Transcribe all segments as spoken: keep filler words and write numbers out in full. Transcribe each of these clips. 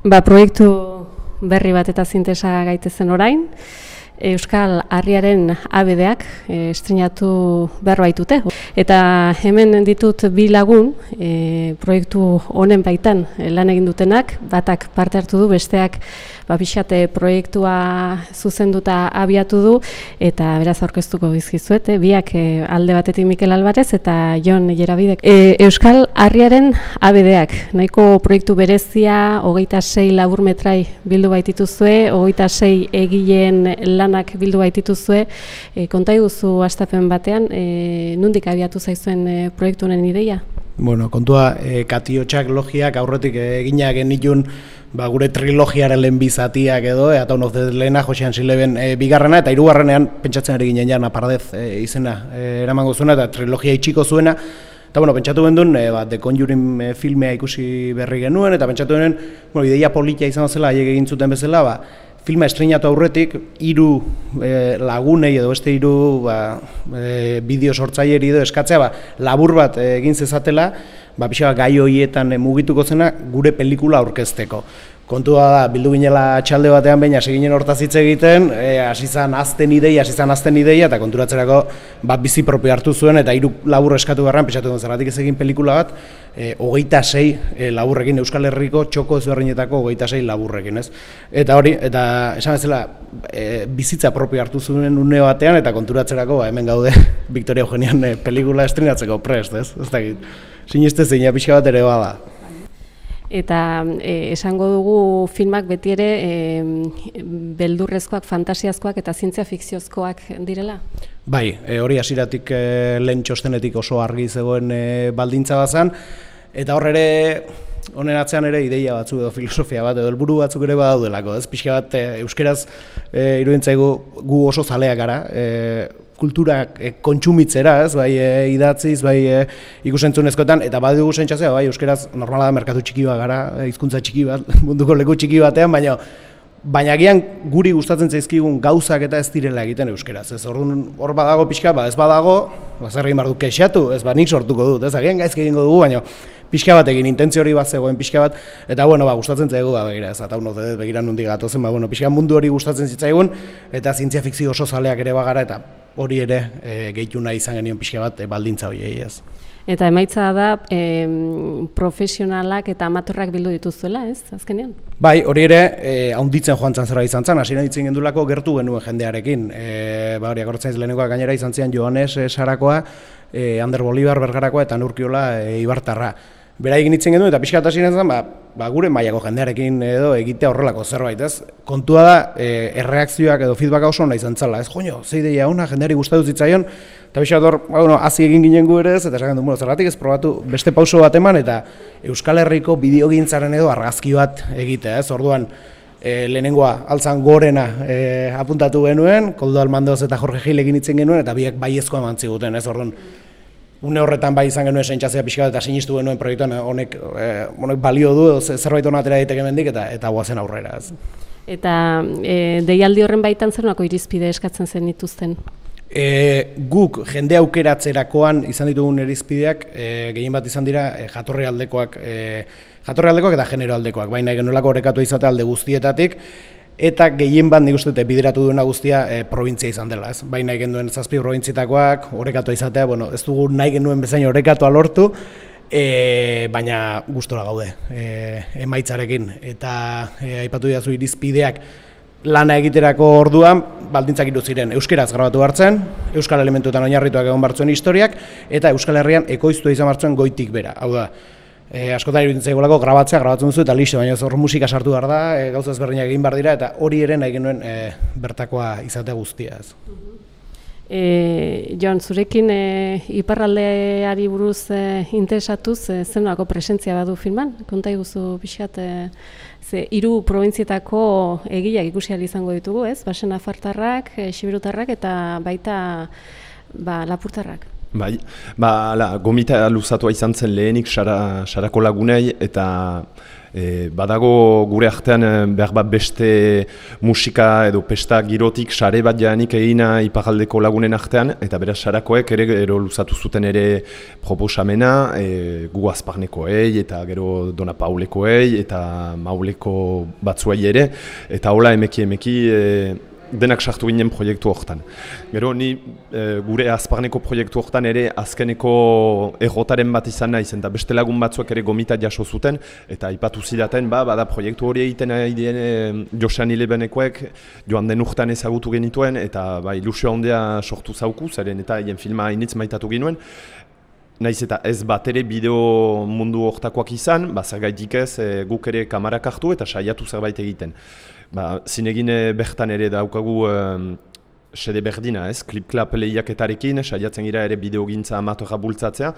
Ba, proiektu berri bat eta zintesa gaitezen orain, Euskal Harriaren abedeak e, estrenatu behar baitute. Eta hemen ditut bi lagun e, proiektu honen baitan e, lan egin dutenak, batak parte hartu du, besteak ba, pixate proiektua zuzenduta abiatu du, eta beraz aurkeztuko dizkizuet, e, biak e, alde batetik Mikel Alvarez eta Jon Jerabidek. E, Euskal Harriaren abedeak, nahiko proiektu berezia, hogeita sei labur metrai bildu baitituzue, hogeita sei egileen lanak bildu baitituzue, e, konta iguzu hastapen batean, e, nondik abiatu zaizuen e, proiektu honen ideia? Bueno, kontua, e, Katiotxak logiak aurretik eginak genitun ba, gure trilogiaren lehen bizatiak edo, e, eta honoz lehena Josean Sileben e, bigarrena, eta hirugarrenean pentsatzen ari ginen jana Pardez e, izena e, eramango zuena, eta trilogia itxiko zuena. Eta bueno, pentsatu bendun, e, ba, The Conjuring e, filmea ikusi berri genuen, eta pentsatu benen, bueno, ideia politia izan zela, haiek egin zuten bezala, ba, filma estreinatu aurretik, hiru e, lagunei edo beste hiru ba, e, bideo sortzaileri edo eskatzea ba, labur bat e, egin zezatela, ba, pixa gai horietan e, mugituko zena gure pelikula aurkezteko. Kontua da, bildu ginela txalde batean behin hasi ginen hortaz hitz egiten, e, hasi zan azten ideia, hasi zan azten ideia, eta konturatzerako bat bizi propio hartu zuen, eta hiru labur eskatu garran, pentsatu duen zergatik ez egin pelikula bat, e, hogeita sei e, laburrekin, Euskal Herriko txoko ezberdinetako hogeita sei laburrekin, ez? Eta hori, eta esan bezala, e, bizitza propio hartu zuen une batean, eta konturatzerako ba, hemen gaude Victoria Eugenian e, pelikula estrenatzeko prest, ez? Ez dakit, siniste zeina pixka bat ere bada. Eta e, esango dugu filmak beti ere e, beldurrezkoak, fantasiazkoak eta zientzia fikziozkoak direla? Bai, e, hori hasieratik e, lehen txostenetik oso argi zegoen e, baldintza bazan, eta hor ere, honen atzean ere ideia batzuk edo filosofia bat edo helburu batzuk ere badaudelako, ez? Pixka bat e, euskeraz e, iruditzaigu gu oso zaleak gara, e, kulturak e, kontsumitzera, ez, bai e, idatziz, bai e, ikusentzunezkoetan, eta badugu sentsazioa, bai, euskeraz normala da merkatu txiki bat gara, e, hizkuntza txiki bat, munduko leku txiki batean, baina baina agian guri gustatzen zaizkigun gauzak eta ez direla egiten euskeraz, ez, orduan hor badago pixka, ba, ez badago, ba, zer egin behar dut kexatu, ez, ba, nik sortuko dut, ez, agian gaizki egingo dugu, baina pixka bat egin, intentzio hori bat zegoen pixka bat, eta bueno, ba, gustatzen zaigu, ba, begira, ez, eta uno dut begira nundi gatozen, ba, bueno, pixka mundu hori gustatzen zitzaigun, eta zientzia fikzio oso zaleak ere bagara, eta hori ere e, gehitu nahi izan genion pixka bat e, baldintza horiei, ez. Eta emaitza da e, profesionalak eta amatorrak bildu dituzuela, ez, azkenean? Bai, hori ere, e, haunditzen joan zan zerbait izan zen, hasieran ditzen gendulako gertu genuen jendearekin. E, ba, hori, akortzen lehenengoa gainera izan zian Joanes e, Sarakoa, e, Ander Bolibar Bergarakoa eta Nurkiola e, Ibartarra. Bera egin ditzen genuen eta pixka bat hasieran zen, ba, ba, gure mailako jendearekin edo egitea horrelako zerbait, ez? Kontua da, e, erreakzioak edo feedbacka oso ona izan zela, ez? Joño, ze ideia ona, jendeari gustatu zitzaion, eta pixka bat hor, ba, bueno, hazi egin ginen gu ere ez, eta esaten du, bueno, zergatik ez probatu beste pauso bat eman, eta Euskal Herriko bideogintzaren edo argazki bat egitea, ez? Orduan, e, lehenengoa altzan gorena e, apuntatu genuen, Koldo Almandoz eta Jorge Gilekin hitzen genuen, eta biek baiezkoa eman ziguten, ez? Orduan, une horretan bai izan genuen sentsazioa pixka bat eta sinistu genuen proiektuan honek, e, honek balio du, zerbait hona atera daiteke hemendik eta eta goazen aurrera. Ez. Eta e, deialdi horren baitan zer nolako irizpide eskatzen zen dituzten? E, guk jende aukeratzerakoan izan ditugun irizpideak e, gehien bat izan dira e, jatorri aldekoak, e, jatorri aldekoak eta genero aldekoak, baina genuelako orekatu izatea alde guztietatik, eta gehien bat nik uste dut bideratu duena guztia e, provintzia izan dela, ez? Bai nahi genuen zazpi probintzietakoak, orekatua izatea, bueno, ez dugu nahi genuen bezain orekatua lortu, e, baina gustora gaude e, emaitzarekin, eta e, aipatu didazu irizpideak lana egiterako orduan, baldintzak hiru ziren, euskeraz grabatu hartzen, euskal elementuetan oinarrituak egon bartzuen historiak, eta Euskal Herrian ekoiztua izan bartzuen goitik bera, hau da, E, askotan iruditzen zaigulako grabatzea, grabatzen duzu eta listo, baina hor musika sartu behar da, e, gauza ezberdinak egin behar dira, eta hori ere nahi genuen e, bertakoa izatea guztia. Ez. E, Jon, zurekin e, iparraldeari buruz e, interesatuz, e, zer nolako presentzia badu filman? Konta iguzu pixkat, e, ze hiru probintzietako egileak ikusi ahal izango ditugu, ez? Basen Nafartarrak, e, Xiberutarrak eta baita ba, Lapurtarrak. Bai, ba, la, gomita luzatua izan zen lehenik Sarako lagunei eta E, badago gure artean behar bat beste musika edo pesta girotik sare bat jaanik egina iparraldeko lagunen artean, eta beraz Sarakoek ere ero luzatu zuten ere proposamena, e, gu Azparnekoei eta gero Dona Paulekoei eta Mauleko batzuei ere, eta hola emeki emeki e, denak sartu ginen proiektu horretan. Gero ni e, gure Azparneko proiektu horretan ere azkeneko errotaren bat izan naiz, eta beste lagun batzuek ere gomita jaso zuten, eta aipatu zidaten, ba, bada proiektu hori egiten ari dien e, Josean Ilebenekoek joan den urtean ezagutu genituen, eta ba, ilusio handia sortu zauku, zeren eta hien filma hainitz maitatu ginuen. Naiz eta ez bat ere bideo mundu hortakoak izan, ba, zergaitik ez e, guk ere kamarak hartu eta saiatu zerbait egiten. Ba, zinegin bertan ere daukagu um, sede berdina, ez? Klip-klap lehiaketarekin, saiatzen gira ere bideogintza amatorra bultzatzea.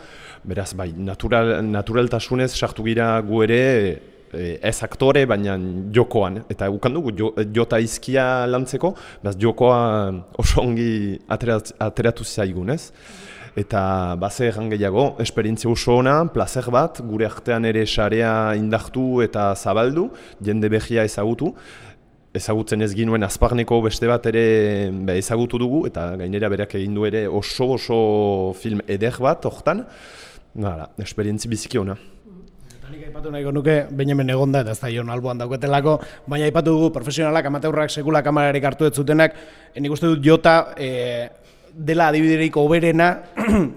Beraz, bai, natural, naturaltasunez sartu gira gu ere e, ez aktore, baina jokoan. Eta ukan dugu, jo, jota izkia lantzeko, beraz, jokoa oso ongi aterat, ateratu zaigun, ez? Eta baze erran gehiago, esperientzia oso ona, plazer bat, gure artean ere sarea indartu eta zabaldu, jende behia ezagutu. Ezagutzen ez ginuen Azparneko beste bat ere be, ezagutu dugu, eta gainera berak egin du ere oso oso film eder bat hortan. Hala, esperientzi biziki ona. Nik aipatu nahiko nuke, Benjamin egonda eta ez da Jon alboan dauketelako, baina aipatu dugu profesionalak, amateurrak, sekula kamararik hartu ez zutenak, nik uste dut Jota e, dela adibiderik oberena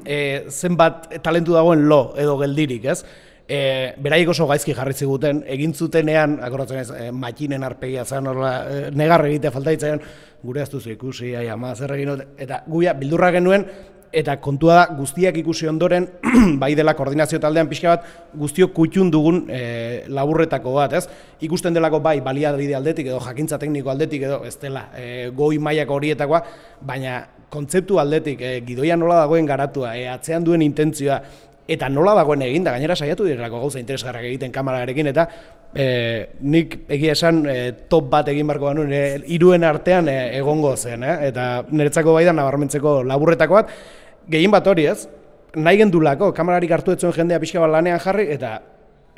e, zenbat talentu dagoen lo edo geldirik, ez? E, beraiek oso gaizki jarri ziguten, egin zutenean, akordatzen ez, e, makinen arpegia zen, orla, e, negar egitea falta ditzaion, gure ez duzu ikusi, ai ama, zer egin dut, eta guia bildurra genuen, eta kontua da guztiak ikusi ondoren, bai dela koordinazio taldean pixka bat, guztiok kutxun dugun e, laburretako bat, ez? Ikusten delako bai baliabide aldetik edo jakintza tekniko aldetik edo ez dela e, goi mailako horietakoa, baina kontzeptu aldetik, e, gidoia nola dagoen garatua, e, atzean duen intentzioa, eta nola dagoen eginda, gainera saiatu direlako gauza interesgarrak egiten kamerarekin, eta e, nik egia esan e, top bat egin barko banuen, e, hiruen artean e, egongo zen, eh? Eta niretzako bai da nabarmentzeko laburretako bat, gehien bat hori ez, nahi gendulako, kamerarik hartu etzuen jendea pixka bat lanean jarri, eta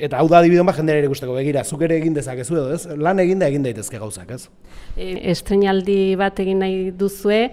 eta hau da adibidon bat jendera ere ikusteko, begira, zuk ere egin dezakezu edo ez, lan eginda egin daitezke gauzak, ez? E, estreinaldi bat egin nahi duzue,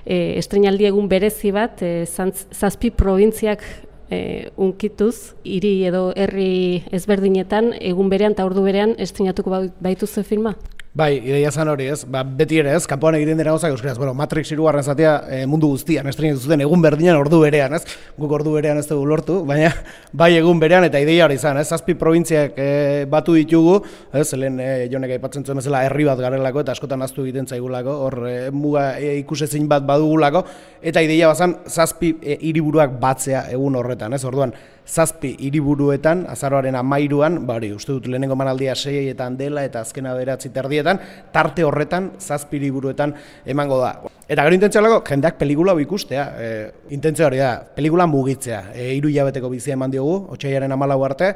e, estreinaldi egun berezi bat, e, zazpi probintziak E, unkituz, hiri edo herri ezberdinetan, egun berean eta ordu berean estreinatuko baituzu filma? Bai, ideia zan hori ez, ba, beti ere ez, kanpoan egiten dira gauzak euskaraz, bueno, Matrix hirugarren zatia e, mundu guztian estreinatu zuten egun berdinean ordu berean, ez? Guk ordu berean ez dugu lortu, baina bai egun berean eta ideia hori izan, ez? Zazpi probintziak e, batu ditugu, ez? Lehen e, Jonek aipatzen zuen bezala herri bat garelako eta askotan ahaztu egiten zaigulako, hor e, muga e, ikusezin bat badugulako, eta ideia bazan zazpi e, hiriburuak batzea egun horretan, ez? Orduan, zazpi hiriburuetan, azaroaren hamairuan, ba hori, uste dut lehenengo manaldia seietan dela eta azkena beratzi terdietan, tarte horretan zazpi hiriburuetan emango da. Eta gero intentzioa dago, jendeak pelikula hau ikustea, e, intentzioa hori da, pelikula mugitzea, e, hiru hilabeteko bizia eman diogu, otsailaren hamalau arte,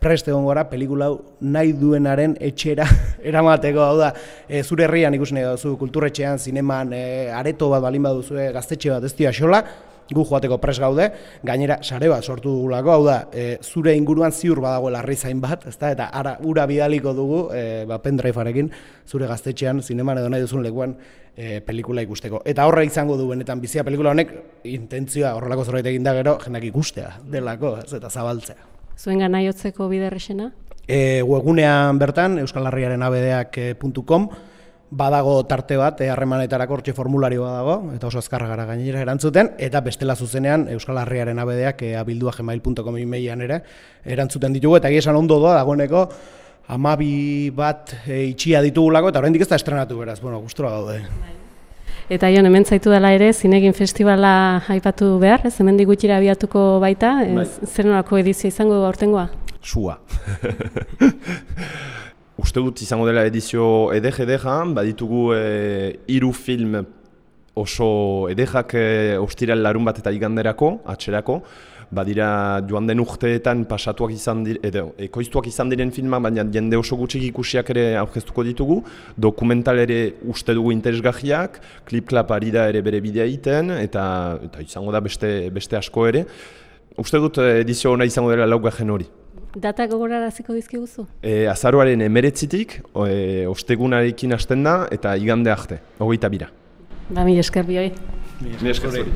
prest egon gora pelikula hau nahi duenaren etxera eramateko, hau da, e, zure herrian ikusi nahi duzu, kulturretxean, zineman, e, areto bat balin baduzu, gaztetxe bat ez dio axola, gu joateko pres gaude, gainera sare bat sortu dugulako, hau da, e, zure inguruan ziur badagoela herrizain bat, ezta, eta ara ura bidaliko dugu, e, ba, pendrivearekin, zure gaztetxean, zineman edo nahi duzun lekuan e, pelikula ikusteko. Eta horre izango du benetan bizia pelikula honek, intentzioa horrelako zerbait egin da gero, jendak ikustea delako, ez, eta zabaltzea. Zuen gana jotzeko biderrexena? E, webgunean bertan, euskal herriaren a b d ak puntu com, badago tarte bat, harremanetarako hortxe formulario badago, eta oso azkarra gara gainera erantzuten, eta bestela zuzenean Euskal Herriaren A B D ak abildua gmail puntu com emailean ere erantzuten ditugu, eta esan ondo doa dagoeneko hamabi bat e, itxia ditugulako, eta oraindik ez da estrenatu beraz, bueno, gustura gaude. Eta Jon, hemen zaitu dela ere, Zinegin Festivala aipatu behar, ez hemendik gutxira abiatuko baita, ez, zer nolako edizio izango aurtengoa? Sua. Uste dut izango dela edizio edek-edeka, baditugu hiru e, film oso edekak e, ostiral larun bat eta iganderako, atxerako, badira joan den urteetan pasatuak izan dire, edo ekoiztuak izan diren filmak, baina jende oso gutxik ikusiak ere aurkeztuko ditugu, dokumental ere uste dugu interesgarriak, klip-klap ari da ere bere bidea egiten, eta, eta izango da beste, beste asko ere. Uste dut edizio ona izango dela laugarren hori. Data gogoraraziko dizkiguzu? E, azaroaren emeretzitik, e, ostegunarekin hasten da, eta igande arte, hogeita bira. Ba, mi esker bioi. Mi esker zuri.